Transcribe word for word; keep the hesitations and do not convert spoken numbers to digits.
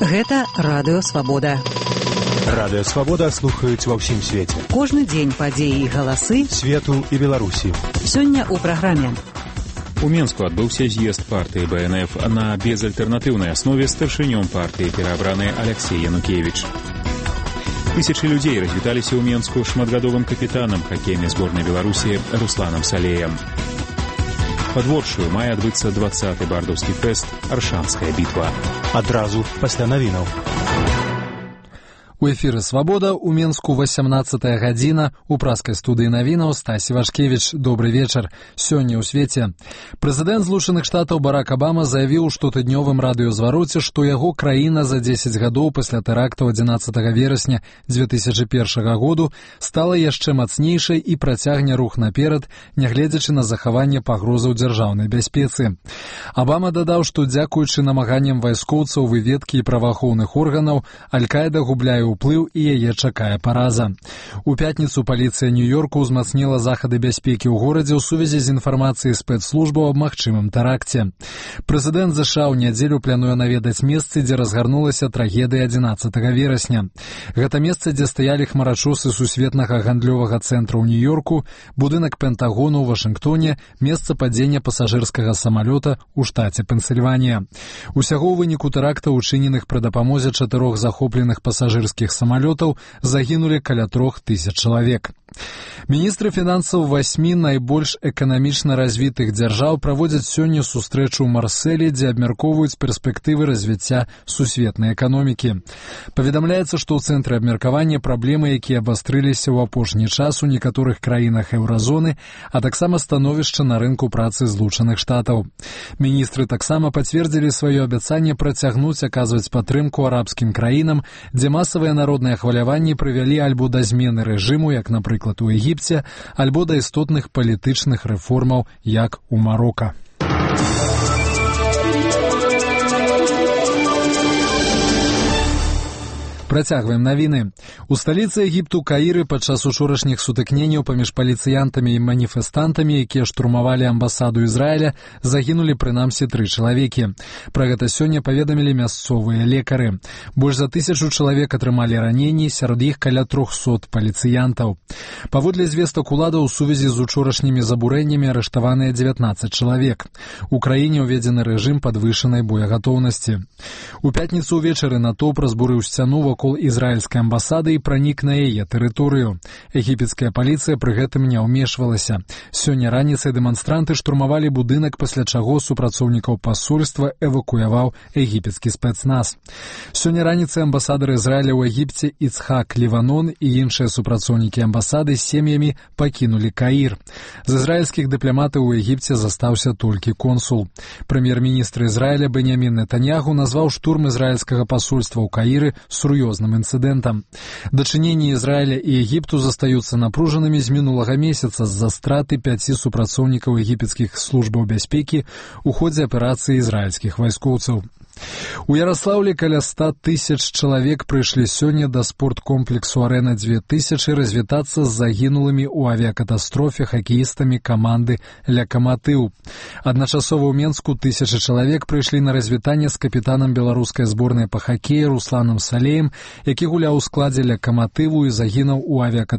Гэта Радыё Свабода. Радыё Свабода слухаюць ва ўсім свеце. Кожны дзень падзеі і галасы свету і Беларусі. Сёння ў праграме. У Менску адбыўся з'езд партыі бэ эн эф на безальтэрнатыўнай аснове старшынём партыі пераабраны Алексей Янукевіч. Тысячы людзей развіталіся ў Менску шматгадовым капітанам хакейнай зборнай Беларусі Русланам Салеем. Падворшую мае адбыцца дваццаты бардаўскі фэст «Аршанская бітва». Адразу пасля навінаў. У эфіры «Свабода» у Менску васямнаццатая гадзіна. У праскай студыі навінаў Стасі Вашкевіч. Добры вечар. Сёння ў свеце. Прэзідэнт Злучаных Штатаў Барак Абама заявіў у штотыднёвым радыёзвароце, што яго краіна за дзесяць гадоў пасля тэрактаў адзінаццатага верасня дзве тысячы першага году стала яшчэ мацнейшай і працягне рух наперад, нягледзячы на захаванне пагрозаў дзяржаўнай бяспецы. Абама дадаў, што дзякуючы намаганням вайскоўцаў, выведкі і праваахоўных органаў, Аль-Каіда губляе уплыў і яе чакае параза. У пятніцу паліцыя Нью-Йорку ўзмацніла захады бяспекі ў горадзе ў сувязі з інфармацыяй спецслужбаў аб магчымым тэракце. Прэзідэнт ЗША ў нядзелю плануе наведаць месцы, дзе разгарнулася трагедыя адзінаццатага верасня. Гэта месца, дзе стаялі хмарачосы сусветнага гандлёвага цэнтра ў Нью-Йорку, будынак Пентагону ў Вашынгтоне, месца падзення пасажырскага самалёта ў штаце Пенсільванія. Усяго ў выніку тэракта, учыненых пры дапамозе чатырох захопленых пасажырскіх самалётаў, загінулі каля трох тысяч чалавек. Міністры фінансаў васьмі найбольш эканамічна развітых дзяржаў праводзяць сёння сустрэчу ў Марселі, дзе абмяркоўваюць перспектывы развіцця сусветнай эканомікі. Паведамляецца, што ў цэнтры абмеркавання праблемы, якія абастрыліся ў апошні час у некаторых краінах еўразоны, а таксама становішча на рынку працы Злучаных Штатаў. Міністры таксама пацвердзілі сваё абяцанне працягнуць аказваць падтрымку арабскім краінам, дзе масавыя народныя хваляванні прывялі альбо да змены рэжыму, як, напрыклад, у Егіпце, альбо да істотных палітычных рэформаў, як у Марока. Працягваем навіны. У сталіцы Егіпту Каіры падчас учорашніх сутыкненняў паміж паліцыянтамі і маніфестантамі, якія штурмавалі амбасаду Ізраіля, загінулі прынамсі тры чалавекі. Пра гэта сёння паведамілі мясцовыя лекары. Больш за тысячу чалавек атрымалі раненні, сярод іх каля трохсот паліцыянтаў. Паводле звестак уладаў, у сувязі з учорашнімі забурэннямі арыштаваныя дзевятнаццаць чалавек. У краіне ўведзены рэжым падвышанай боегатоўнасці. У пятніцу ўвечары натоўп разбурыў сцяну вакол ізраільскай амбасады і пранік на яе тэрыторыю. Егіпецкая паліцыя пры гэтым не ўмешвалася. Сёння раніцай дэманстранты штурмавалі будынак, пасля чаго супрацоўнікаў пасольства эвакуяваў егіпецкі спецназ. Сёння раніцай амбасадар Ізраіля ў Егіпце Іцхак Ліванон і іншыя супрацоўнікі амбасады з сем'ямі пакінулі Каір. З ізраільскіх дыпламатаў у Егіпце застаўся толькі консул. Прэм'ер-міністр Ізраіля Беньямін Нетаньяху назваў штурм ізраільскага пасольства ў Каіры сур'ёзным інцыдэнтам. Дачыненні Ізраіля і Егіпту застаюцца напружанымі з мінулага месяца з-за страты пяці супрацоўнікаў егіпецкіх службаў бяспекі ў ходзе аперацыі ізраільскіх вайскоўцаў. У Яраслаўлі каля ста тысяч чалавек прыйшлі сёння да спорткомплексу «Арэна дзве тысячы» развітацца з загінулымі ў авіякатастрофе хакеістамі каманды «Лякаматыў». Адначасова ў Менску тысячы чалавек прыйшлі на развітанне з капітанам беларускай зборнай па хакеі Русланам Салеем, які гуляў у складзе «Лякаматыву» і загінуў у авіякатастрофе